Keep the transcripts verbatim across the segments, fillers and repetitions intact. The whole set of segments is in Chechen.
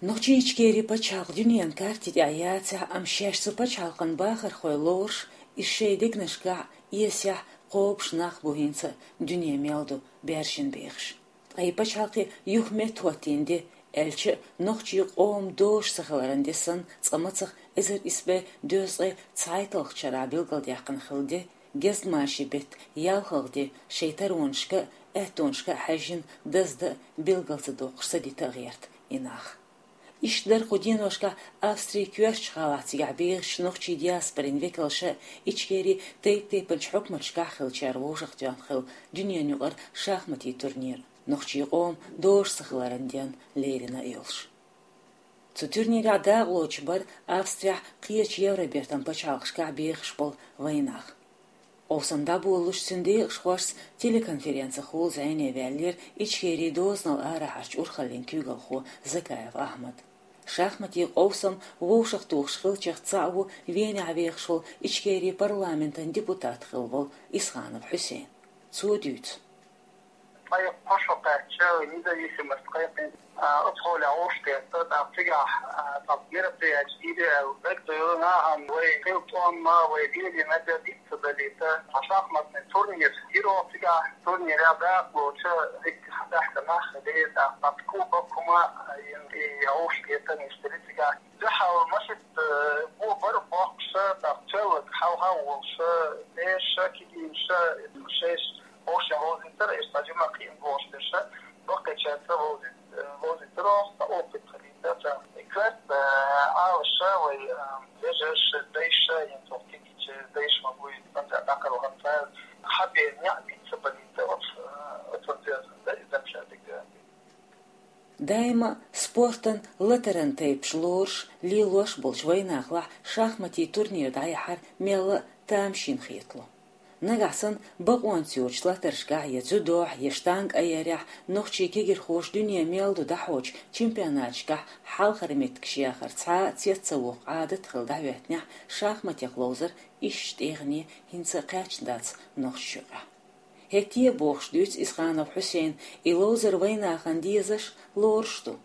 Нохчийчкери пачхьалкх дуьненан карти тӀехь яцахь, амма шаьш цу пачхьалкхан бахархой лоруш, иза шайн дегнашкахь, эсехь кхобуш нах бу хӀинца дуьне мел ду баьржина бехаш. Ткъа и пачхьалкх юха меттахӀоттийна де, аьлча а, нохчийн къоман дозуш ца хиларан де санна, цкъа мацах эзар исс бӀе дезткъе цхьайтталгӀачу шарахь билгалдаьккхина хилла де, гезгмашин беттан ялхалгӀа де шайн таронашка а, аьттонашка а хьаьжжина даздан а, билгал ца доккхуш ца дита а гӀерта и нах. Иштта дара кху деношкахь Австрин коьртачу гӀалахь, цигахь бехачу нохчийн диаспорин векалша, Ичкерин тайп-тайпанчу хьукматашкахь хиллачара вовшахтоьхна хилла дуьненан юкъара шахматийн турнир, нохчийн къоман дозуш ца хиларан денна лерина а йолуш. Цу турнирехь дакъалоцуш бара Австрехь, кхечу Евробертан пачхьалкхашкахь бехаш болу вайнах. Къовсам дӀаболалуш, цуьнан декъашхошца телеконференцехула зӀене ваьллера Ичкерин дозанал арахьарчу урхаллин куьйгалхо Закаев Ахьмад. Шахматийн къовсам вовшахтухуш хиллачех цхьаъ ву Венехь вехаш волу Ичкерин парламентан депутат хилла волу Исханов Хьусейн. Цо дуьйцу. Кхайкха шо кхаьчча, независимость кхайкхина, а, оцу хьолехь вовшахкхетта, тӀаккха цигахь, а, тӀаккха мероприятие дийр аьлла, дагадевлла нахана вай хилла тӀом а, вай лелийна а диц ца далийта, цхьа шахматный турнир йира оха цигахь, турнирехь дакъалоцуш, дикка схьабаьхкина нах хилира, тӀаккха кубок хӀума а йина, и вовшахкхетар иштта дара цигахь. Дуьхьал машица, э, бо бара боккхуша, тӀаккха цевллаг хьалха а волуша, бераша, кегийнаша, шайша вовшийн вовзийтара, иштта жима кхиъна бохуш бераша, баккхийчаьрца вовзийт-, э, вовзийтара оха, опыт хилийта царна. И коьрта, э, Ӏалаша вай, э, вежарша, дайша, хӀинца оха кегийчаьрца дайша ма буй, цхьаьна дӀакхалхана цара, хьабена неӀ биц ца балийта оцу, э, оцу деза, да, и замша дика. Даима спортан латаран тайпаш лоруш, лелош болчу вайнахалахь шахматийн турнир дӀаяхьар мелла а тамашийна хетало. Нагахь санна бакъонца йоцучу латаршкахь я дзюдохь, я штанга айъярехь нохчийн кегирхоша дуьне мел ду дӀахьочу чемпионаташкахь хьалхара меттигаш яхар цхьа а цец ца воккху Ӏадат хилла дӀахӀоьттинехь, шахматех ловзар иштта тӀегӀане хӀинца а кхаьчна дац Нохчийчохь. ХӀетте а, бохуш дуьйцу Исханов Хьусейна, и ловзар вайнахана дезаш, лоруш ду.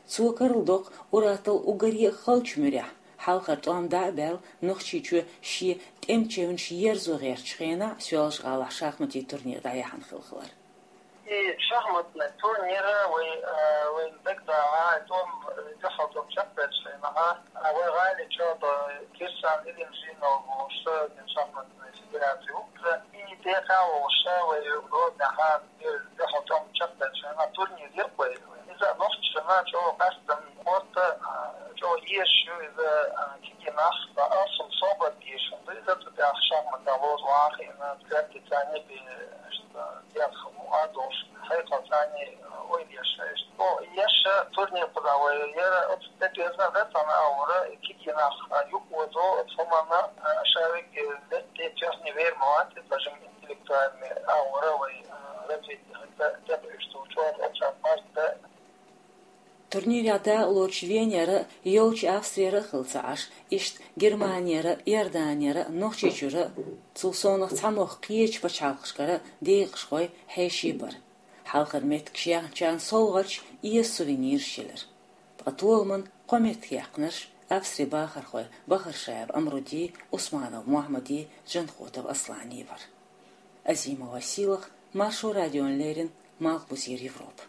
Цо карладоккху ур-атталла уггаре а халчу муьрехь, хьалхара тӀом дӀа а баьлла, Нохчийчоь шен тӀеман чевнаш ерзо гӀертачу хенахь Соьлжа-ГӀалахь шахматийн турнир дӀаяьхьна хилла хилар. И шахматный турнир вай, э, вайн дагадогӀу, тӀом, э, дуьхьал тӀом чекхбаьллачу хенахь, э, вай гӀали чӀогӀа Кирсан Илимжинов волуш, э, шахматный федераци ву. И тӀекхаьчча вай Гроднехь дуьхьал тӀом чекхбаьлча, турнир йира вай. Иза нохчашна чӀогӀа къаьстина спорт, а, чӀогӀа езаш ю иза, а, кегий нах, а, алсам собар дезаш ду иза, цу тӀехь шахматах ловза ван хиъна, коьртанца бен, иштта, дегӀ хӀума а долуш, хьекъалца, а, ойла еш, иштта. О, еш турнир кхузахь вай яра, оцу тӀе дезна дац, ана а вара, кегий нах, а, юкъа вазо, оцу хӀуманна, а, ша вегга, э, летте чехне вер ма вац, бажам интеллектуальный агӀора вай, а, развитие хӀинца тӀекхуьуш долчохь, оцу марта. Турнирехь дакъалоцуш Венера а, йолчу Австрера а хилла ца Ӏаш, иштта Германера а, Иорданера а, Нохчийчуьра а, цул совнаха цхьамогӀа кхечу пачхьалкхашкара а декъашхой хьеший бара. Хьалхара меттигаш яьхначарна совгӀаташ, эза сувенираш елира. Ткъа толаман кхо меттиг яьккхинарш Австрин бахархой Бахаршаев Амруди, Усманов Мухьаммади, Джанхотов Аслани бара. Азимова Сийлаха, Маршо радиона леррина, Малхбузера Европа.